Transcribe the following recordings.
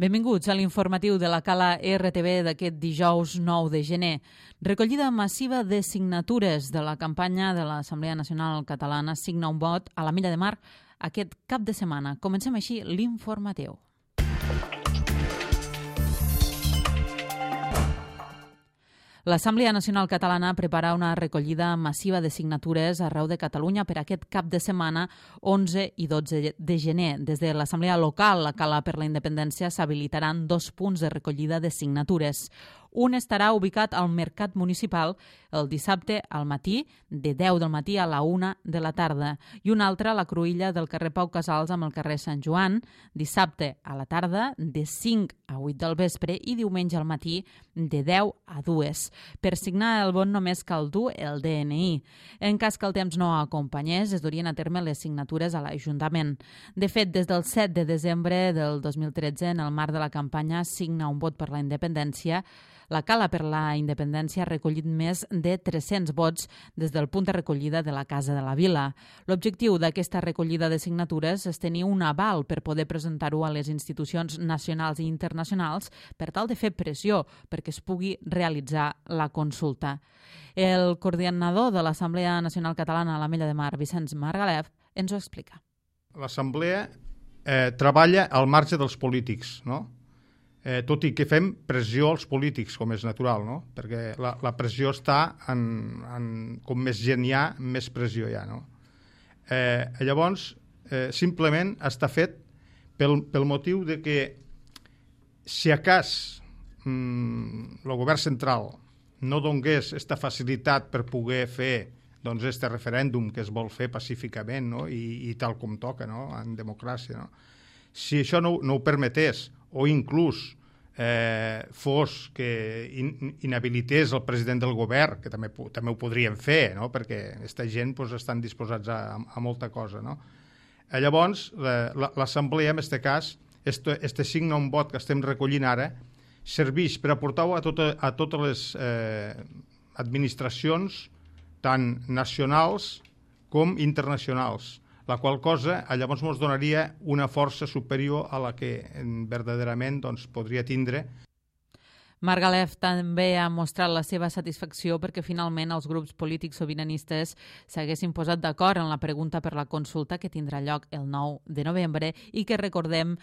Benvinguts a l'informatiu de la Cala RTV d'aquest dijous 9 de gener. Recollida massiva de signatures de la campanya de l'Assemblea Nacional Catalana Signa un vot a la Milla de Mar aquest cap de setmana. Comencem així l'informatiu. L'Assemblea Nacional Catalana prepara una recollida massiva de signatures arreu de Catalunya per aquest cap de setmana 11 i 12 de gener. Des de l'Assemblea Local, la Cala per la Independència, s'habilitaran 2 punts de recollida de signatures. Un estarà ubicat al Mercat Municipal el dissabte al matí, de 10 del matí a la 1 de la tarda, i un altre a la cruïlla del carrer Pau Casals amb el carrer Sant Joan, dissabte a la tarda, de 5 a 8 del vespre i diumenge al matí, de 10 a 2. Per signar el vot només cal dur el DNI. En cas que el temps no acompanyés, es durien a terme les signatures a l'Ajuntament. De fet, des del 7 de desembre del 2013, en el marc de la campanya Signa un vot per la independència, la Cala per la Independència ha recollit més de 300 vots des del punt de recollida de la Casa de la Vila. L'objectiu d'aquesta recollida de signatures és tenir un aval per poder presentar-ho a les institucions nacionals i internacionals per tal de fer pressió perquè es pugui realitzar la consulta. El coordinador de l'Assemblea Nacional Catalana a la Milla de Mar, Vicenç Margalef, ens ho explica. L'Assemblea treballa al marge dels polítics, no? Tot i que fem pressió als polítics, com és natural, no? Perquè la pressió està com més gent hi ha, més pressió hi ha, no? Llavors, simplement està fet pel motiu de que si a cas el govern central no donés aquesta facilitat per poder fer doncs este referèndum que es vol fer pacíficament, no? I tal com toca, no? En democràcia, no? Si això no ho permetés, o inclús fos que inhabilités el president del govern, que també ho podrien fer, no? Perquè aquesta gent estan disposats a molta cosa, no? Llavors, l'Assemblea, en aquest cas, este signa un vot que estem recollint ara, serveix per aportar-ho a totes les administracions, tant nacionals com internacionals, la qual cosa llavors ens donaria una força superior a la que verdaderament podria tindre. Margalef també ha mostrat la seva satisfacció perquè finalment els grups polítics sobiranistes s'haguessin posat d'acord en la pregunta per la consulta que tindrà lloc el 9 de novembre i que, recordem,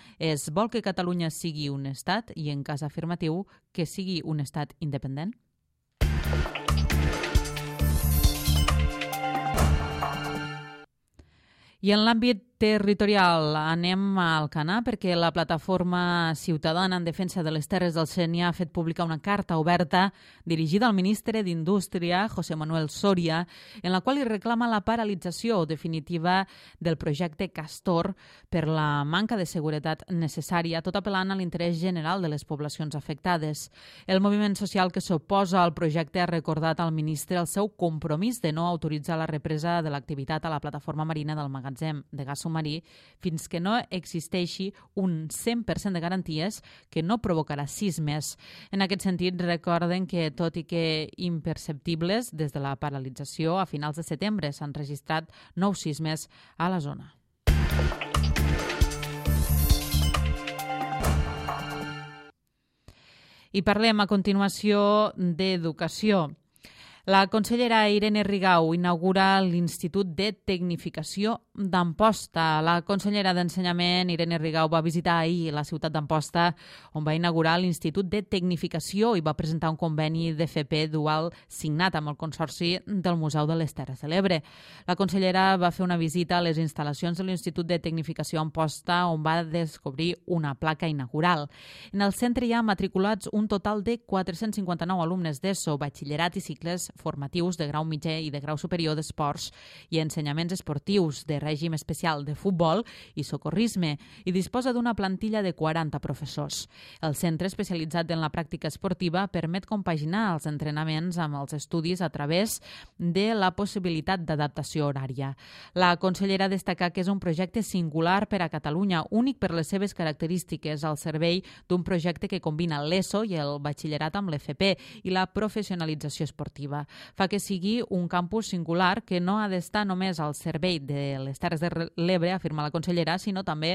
vol que Catalunya sigui un estat i, en cas afirmatiu, que sigui un estat independent? I en l'àmbit territorial anem a Alcanar perquè la plataforma ciutadana en defensa de les terres del Sénia ha fet pública una carta oberta dirigida al ministre d'Indústria, José Manuel Soria, en la qual li reclama la paralització definitiva del projecte Castor per la manca de seguretat necessària, tot apel·lant a l'interès general de les poblacions afectades. El moviment social que s'oposa al projecte ha recordat al ministre el seu compromís de no autoritzar la represa de l'activitat a la plataforma marina del magatzem de gas marí fins que no existeixi un 100% de garanties que no provocarà sismes. En aquest sentit, recorden que, tot i que imperceptibles, des de la paralització a finals de setembre s'han registrat 9 sismes a la zona. I parlem a continuació d'educació. La consellera Irene Rigau inaugura l'Institut de Tecnificació d'Amposta. La consellera d'Ensenyament, Irene Rigau, va visitar ahir la ciutat d'Amposta, on va inaugurar l'Institut de Tecnificació i va presentar un conveni d'FP dual signat amb el Consorci del Museu de les Terres de l'Ebre. La consellera va fer una visita a les instal·lacions de l'Institut de Tecnificació Amposta, on va descobrir una placa inaugural. En el centre hi ha matriculats un total de 459 alumnes d'ESO, batxillerat i cicles formatius de grau mitjà i de grau superior d'esports i ensenyaments esportius de règim especial de futbol i socorrisme i disposa d'una plantilla de 40 professors. El centre especialitzat en la pràctica esportiva permet compaginar els entrenaments amb els estudis a través de la possibilitat d'adaptació horària. La consellera destaca que és un projecte singular per a Catalunya, únic per les seves característiques al servei d'un projecte que combina l'ESO i el batxillerat amb l'FP i la professionalització esportiva. Fa que sigui un campus singular que no ha d'estar només al servei de les Terres de l'Ebre, afirma la consellera, sinó també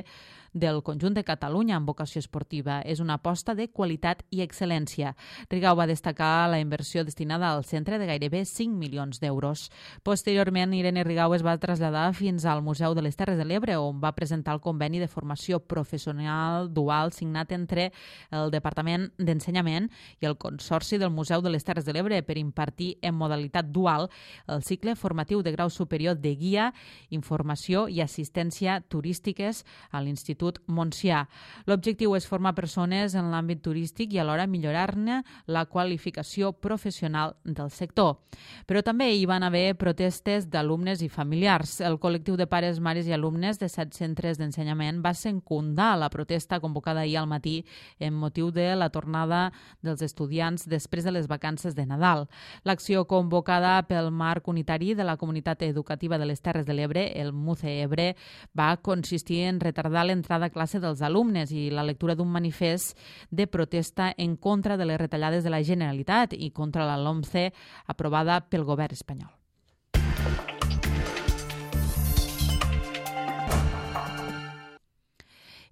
del conjunt de Catalunya amb vocació esportiva. És una aposta de qualitat i excel·lència. Rigau va destacar la inversió destinada al centre de gairebé 5 milions d'euros. Posteriorment, Irene Rigau es va traslladar fins al Museu de les Terres de l'Ebre, on va presentar el conveni de formació professional dual signat entre el Departament d'Ensenyament i el Consorci del Museu de les Terres de l'Ebre per impartir en modalitat dual el cicle formatiu de grau superior de guia, informació i assistència turístiques a l'Institut Montsià. L'objectiu és formar persones en l'àmbit turístic i alhora millorar-ne la qualificació professional del sector. Però també hi van haver protestes d'alumnes i familiars. El col·lectiu de pares, mares i alumnes de 7 centres d'ensenyament va secundar la protesta convocada ahir al matí en motiu de la tornada dels estudiants després de les vacances de Nadal. L'acció convocada pel Marc Unitari de la Comunitat Educativa de les Terres de l'Ebre, el MUCE-Ebre, va consistir en retardar l'entrada a classe dels alumnes i la lectura d'un manifest de protesta en contra de les retallades de la Generalitat i contra la LOMCE aprovada pel govern espanyol.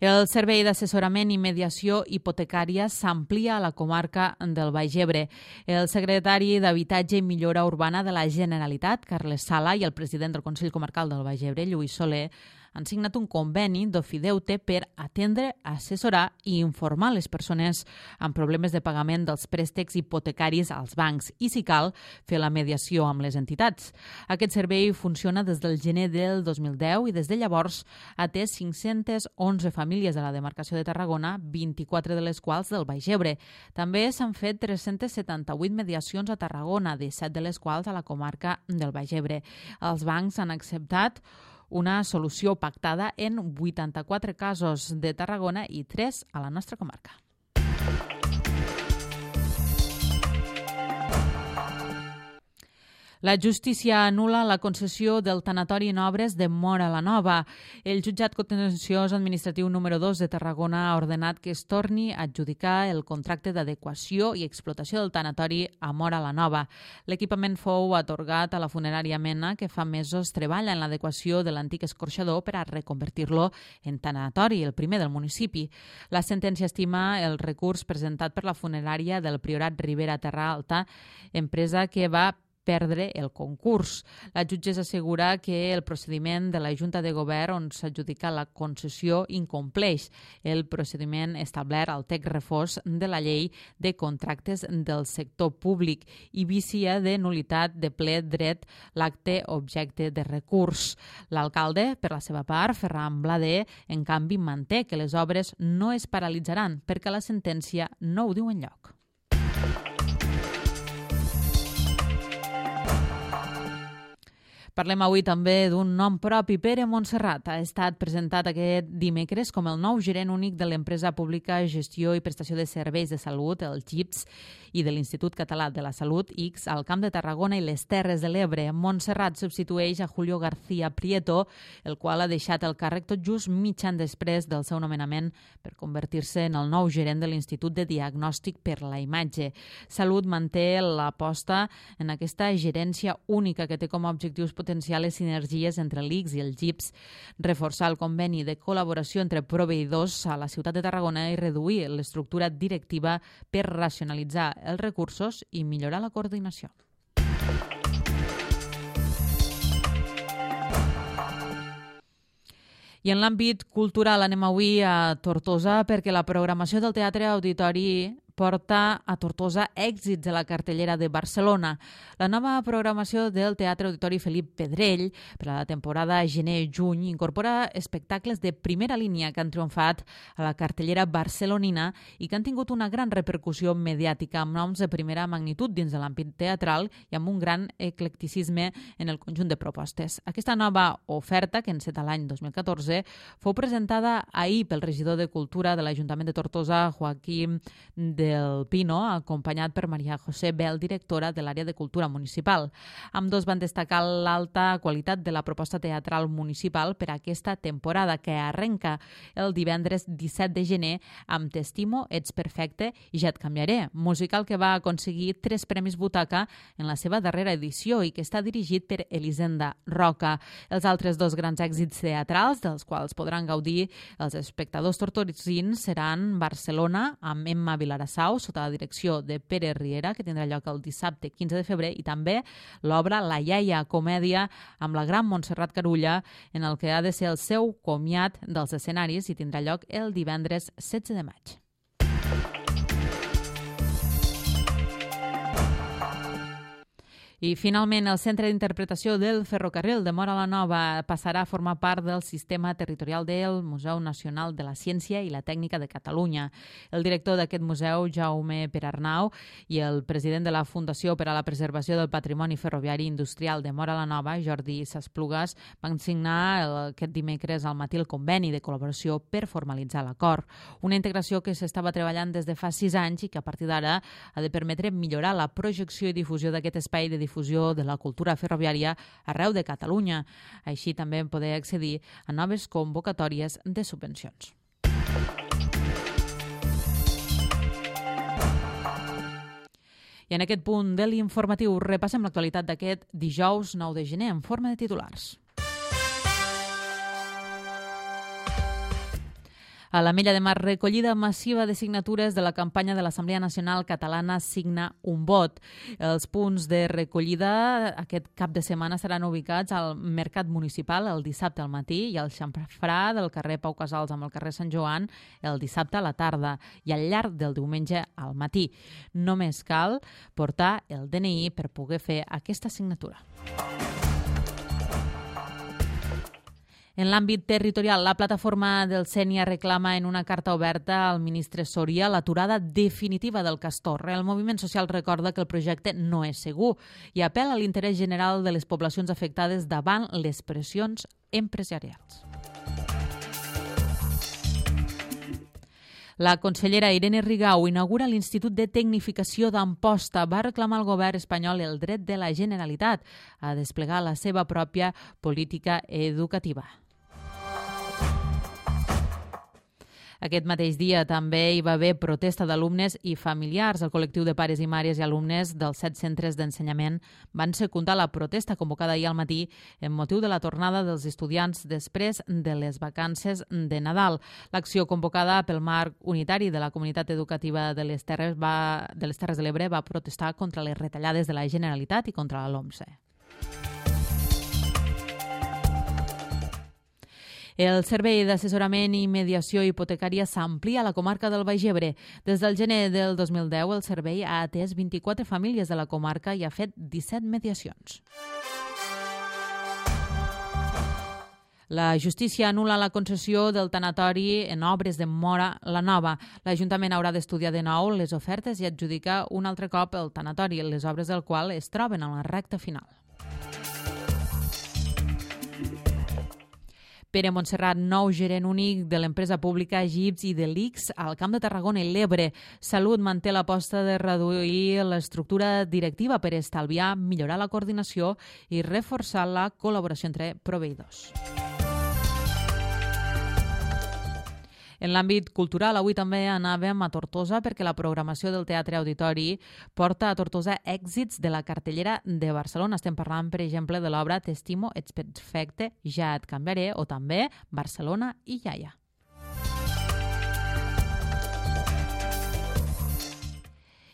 El Servei d'Assessorament i Mediació Hipotecària s'amplia a la comarca del Baix Ebre. El secretari d'Habitatge i Millora Urbana de la Generalitat, Carles Sala, i el president del Consell Comarcal del Baix Ebre, Lluís Soler, han signat un conveni d'ofideute per atendre, assessorar i informar les persones amb problemes de pagament dels préstecs hipotecaris als bancs i, si cal, fer la mediació amb les entitats. Aquest servei funciona des del gener del 2010 i des de llavors ha atès 511 famílies de la demarcació de Tarragona, 24 de les quals del Baix Ebre. També s'han fet 378 mediacions a Tarragona, 17 de les quals a la comarca del Baix Ebre. Els bancs han acceptat una solució pactada en 84 casos de Tarragona i 3 a la nostra comarca. La justícia anul·la la concessió del tanatori en obres de Móra la Nova. El jutjat contenciós administratiu número 2 de Tarragona ha ordenat que es torni a adjudicar el contracte d'adequació i explotació del tanatori a Móra la Nova. L'equipament fou atorgat a la funerària Mena, que fa mesos treballa en l'adequació de l'antic escorxador per a reconvertir-lo en tanatori, el primer del municipi. La sentència estima el recurs presentat per la funerària del Priorat Ribera Terra Alta, empresa que va perdre el concurs. La jutgessa assegura que el procediment de la Junta de Govern on s'adjudica la concessió incompleix el procediment establert al text refós de la llei de contractes del sector públic i vicia de nul·litat de ple dret l'acte objecte de recurs. L'alcalde, per la seva part, Ferran Blader, en canvi, manté que les obres no es paralitzaran perquè la sentència no ho diu enlloc. Parlem avui també d'un nom propi. Pere Montserrat ha estat presentat aquest dimecres com el nou gerent únic de l'empresa pública Gestió i Prestació de Serveis de Salut, el GIPS, i de l'Institut Català de la Salut, ICS, al Camp de Tarragona i les Terres de l'Ebre. Montserrat substitueix a Julio García Prieto, el qual ha deixat el càrrec tot just mig any després del seu nomenament per convertir-se en el nou gerent de l'Institut de Diagnòstic per la Imatge. Salut manté l'aposta en aquesta gerència única que té com a objectius potencials sinergies entre l'ICS i el GIPS, reforçar el conveni de col·laboració entre proveïdors a la ciutat de Tarragona i reduir l'estructura directiva per racionalitzar els recursos i millorar la coordinació. I en l'àmbit cultural anem avui a Tortosa perquè la programació del Teatre Auditori porta a Tortosa èxits de la cartellera de Barcelona. La nova programació del Teatre Auditori Felip Pedrell per a la temporada gener-juny incorpora espectacles de primera línia que han triomfat a la cartellera barcelonina i que han tingut una gran repercussió mediàtica amb noms de primera magnitud dins de l'àmbit teatral i amb un gran eclecticisme en el conjunt de propostes. Aquesta nova oferta, que enceta l'any 2014, fou presentada ahir pel regidor de Cultura de l'Ajuntament de Tortosa, Joaquim de del Pino, acompanyat per Maria José Bel, directora de l'àrea de Cultura Municipal. Ambdós van destacar l'alta qualitat de la proposta teatral municipal per a aquesta temporada, que arrenca el divendres 17 de gener amb T'estimo, ets perfecte i ja et canviaré, musical que va aconseguir 3 premis Butaca en la seva darrera edició i que està dirigit per Elisenda Roca. Els altres 2 grans èxits teatrals, dels quals podran gaudir els espectadors tortosins, seran Barcelona, amb Emma Vilarassau, sota la direcció de Pere Riera, que tindrà lloc el dissabte 15 de febrer, i també l'obra La iaia, comèdia, amb la gran Montserrat Carulla, en el que ha de ser el seu comiat dels escenaris i tindrà lloc el divendres 16 de maig. I finalment, el Centre d'Interpretació del Ferrocarril de Móra la Nova passarà a formar part del sistema territorial del Museu Nacional de la Ciència i la Tècnica de Catalunya. El director d'aquest museu, Jaume Perarnau, i el president de la Fundació per a la Preservació del Patrimoni Ferroviari Industrial de Móra la Nova, Jordi Sasplugas, van signar aquest dimecres al matí el conveni de col·laboració per formalitzar l'acord. Una integració que s'estava treballant des de fa 6 anys i que a partir d'ara ha de permetre millorar la projecció i difusió d'aquest espai de difusió de la cultura ferroviària arreu de Catalunya. Així també poder accedir a noves convocatòries de subvencions. I en aquest punt de l'informatiu repassem l'actualitat d'aquest dijous 9 de gener en forma de titulars. A l'Ametlla de Mar, recollida massiva de signatures de la campanya de l'Assemblea Nacional Catalana Signa un vot. Els punts de recollida aquest cap de setmana seran ubicats al Mercat Municipal el dissabte al matí i al xamfrà del carrer Pau Casals amb el carrer Sant Joan el dissabte a la tarda i al llarg del diumenge al matí. Només cal portar el DNI per poder fer aquesta signatura. En l'àmbit territorial, la plataforma del Sénia reclama en una carta oberta al ministre Soria l'aturada definitiva del castor. El moviment social recorda que el projecte no és segur i apel·la a l'interès general de les poblacions afectades davant les pressions empresarials. La consellera Irene Rigau inaugura l'Institut de Tecnificació d'Amposta. Va reclamar al govern espanyol el dret de la Generalitat a desplegar la seva pròpia política educativa. Aquest mateix dia també hi va haver protesta d'alumnes i familiars. El col·lectiu de pares i mares i alumnes dels 7 centres d'ensenyament van secundar la protesta convocada ahir al matí en motiu de la tornada dels estudiants després de les vacances de Nadal. L'acció convocada pel marc unitari de la comunitat educativa de les Terres de l'Ebre va protestar contra les retallades de la Generalitat i contra la LOMSE. El servei d'assessorament i mediació hipotecària s'amplia a la comarca del Baix Ebre. Des del gener del 2010, el servei ha atès 24 famílies de la comarca i ha fet 17 mediacions. La justícia anul·la la concessió del tanatori en obres de Móra la Nova. L'Ajuntament haurà d'estudiar de nou les ofertes i adjudicar un altre cop el tanatori, les obres del qual es troben en la recta final. Pere Montserrat, nou gerent únic de l'empresa pública Gips i de l'ICS al Camp de Tarragona i l'Ebre. Salut manté l'aposta de reduir l'estructura directiva per estalviar, millorar la coordinació i reforçar la col·laboració entre proveïdors. En l'àmbit cultural, avui també anàvem a Tortosa perquè la programació del Teatre Auditori porta a Tortosa èxits de la cartellera de Barcelona. Estem parlant, per exemple, de l'obra T'estimo, ets perfecte, ja et canviaré, o també Barcelona i iaia.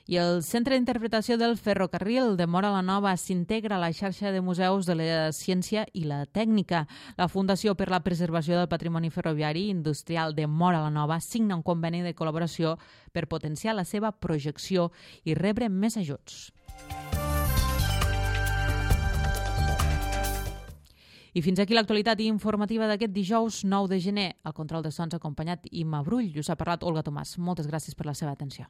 I el Centre d'Interpretació del Ferrocarril de Móra la Nova s'integra a la xarxa de museus de la ciència i la tècnica. La Fundació per la Preservació del Patrimoni Ferroviari Industrial de Móra la Nova signa un conveni de col·laboració per potenciar la seva projecció i rebre més ajuts. I fins aquí l'actualitat informativa d'aquest dijous 9 de gener. Al control de sons acompanyat Imma Brull. Us ha parlat Olga Tomàs. Moltes gràcies per la seva atenció.